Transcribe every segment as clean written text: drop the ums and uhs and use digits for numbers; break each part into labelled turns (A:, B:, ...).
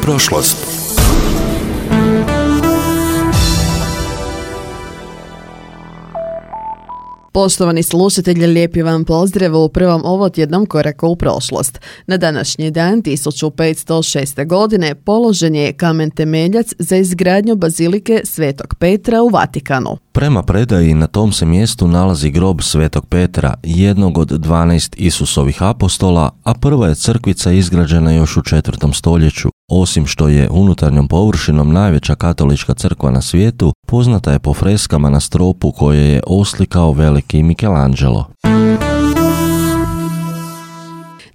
A: prošlost.
B: Poštovani slušatelji, lijepi vam pozdrav u prvom ovotjednom koraku u prošlost. Na današnji dan 1506. godine položen je kamen temeljac za izgradnju bazilike Svetog Petra u Vatikanu.
C: Prema predaji na tom se mjestu nalazi grob Svetog Petra, jednog od 12 Isusovih apostola, a prva je crkvica izgrađena još u 4. stoljeću. Osim što je unutarnjom površinom najveća katolička crkva na svijetu, poznata je po freskama na stropu koje je oslikao veliki Michelangelo.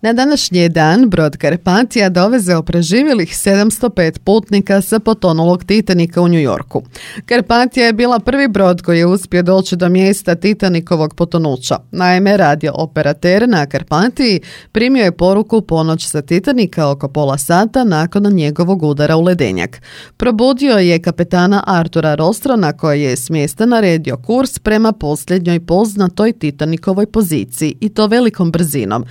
B: Na današnji dan brod Carpathia dovezao preživjelih 705 putnika sa potonulog Titanika u New Yorku. Carpathia je bila prvi brod koji je uspio doći do mjesta Titanikovog potonuća. Naime, radio operater na Carpathii primio je poruku ponoć sa Titanika oko pola sata nakon njegovog udara u ledenjak. Probudio je kapetana Artura Rostrona koji je s mjesta naredio kurs prema posljednjoj poznatoj Titanikovoj poziciji i to velikom brzinom.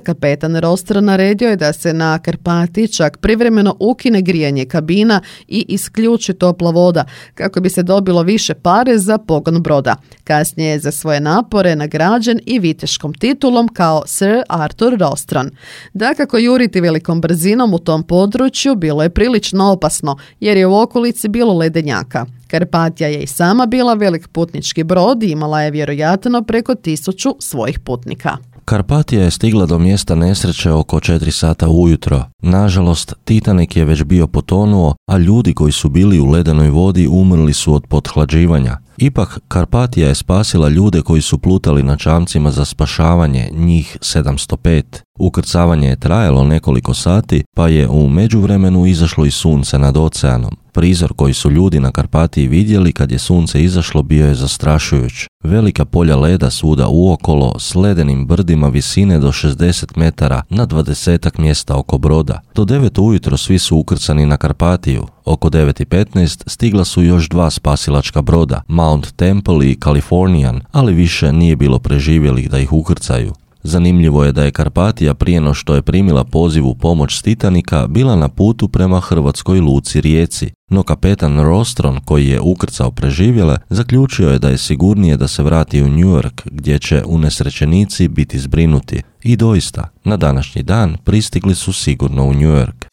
B: Kapetan Rostron naredio je da se na Carpathii čak privremeno ukine grijanje kabina i isključi topla voda kako bi se dobilo više pare za pogon broda. Kasnije je za svoje napore nagrađen i viteškom titulom kao Sir Arthur Rostron. Dakako, juriti velikom brzinom u tom području bilo je prilično opasno jer je u okolici bilo ledenjaka. Carpathia je i sama bila velik putnički brod i imala je vjerojatno preko 1000 svojih putnika.
C: Carpathia je stigla do mjesta nesreće oko 4 sata ujutro. Nažalost, Titanik je već bio potonuo, a ljudi koji su bili u ledenoj vodi umrli su od pothlađivanja. Ipak, Carpathia je spasila ljude koji su plutali na čamcima za spašavanje, njih 705. Ukrcavanje je trajalo nekoliko sati, pa je u međuvremenu izašlo i sunce nad oceanom. Prizor koji su ljudi na Carpathii vidjeli kad je sunce izašlo bio je zastrašujuć. Velika polja leda svuda uokolo s ledenim brdima visine do 60 metara na 20 mjesta oko broda. Do 9 ujutro svi su ukrcani na Carpathiju. Oko 9:15 stigla su još 2 spasilačka broda, Mount Temple i Californian, ali više nije bilo preživjelih da ih ukrcaju. Zanimljivo je da je Carpathia prije no što je primila poziv u pomoć s Titanika bila na putu prema hrvatskoj luci Rijeci, no kapetan Rostron koji je ukrcao preživjele zaključio je da je sigurnije da se vrati u New York gdje će unesrećenici biti zbrinuti. I doista, na današnji dan pristigli su sigurno u New York.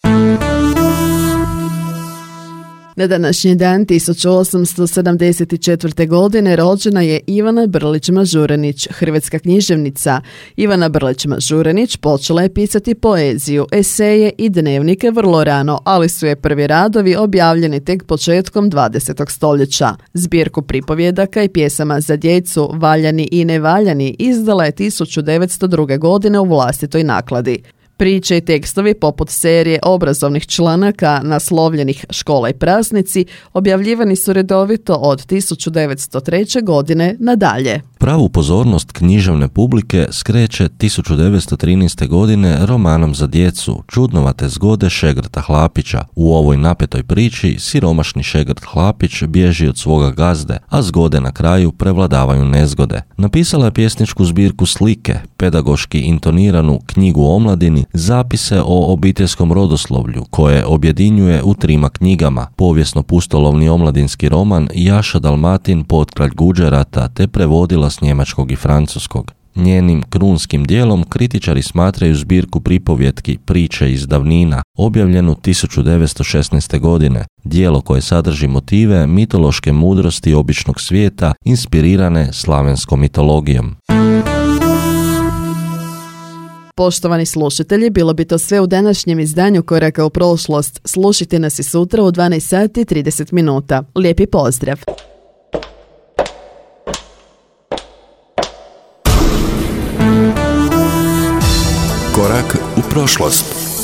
B: Na današnji dan 1874. godine rođena je Ivana Brlić-Mažuranić, hrvatska književnica. Ivana Brlić-Mažuranić počela je pisati poeziju, eseje i dnevnike vrlo rano, ali su je prvi radovi objavljeni tek početkom 20. stoljeća. Zbirku pripovjedaka i pjesama za djecu Valjani i nevaljani izdala je 1902. godine u vlastitoj nakladi. Priče i tekstovi poput serije obrazovnih članaka naslovljenih Škola i praznici objavljivani su redovito od 1903. godine nadalje.
C: Pravu pozornost književne publike skreće 1913. godine romanom za djecu Čudnovate zgode Šegrta Hlapića. U ovoj napetoj priči siromašni Šegrt Hlapić bježi od svoga gazde, a zgode na kraju prevladavaju nezgode. Napisala je pjesničku zbirku Slike, pedagoški intoniranu knjigu o omladini, zapise o obiteljskom rodoslovlju koje objedinjuje u 3 knjigama, povijesno-pustolovni omladinski roman Jaša Dalmatin Potkralj Guđerata te prevodila s njemačkog i francuskog. Njenim krunskim dijelom kritičari smatraju zbirku pripovjetki Priče iz davnina, objavljenu 1916. godine, dijelo koje sadrži motive mitološke mudrosti običnog svijeta inspirirane slavenskom mitologijom.
B: Poštovani slušatelji, bilo bi to sve u današnjem izdanju Koraka u prošlost. Slušajte nas i sutra u 12 sati i 30 minuta. Lijepi pozdrav!
A: Korak u prošlost.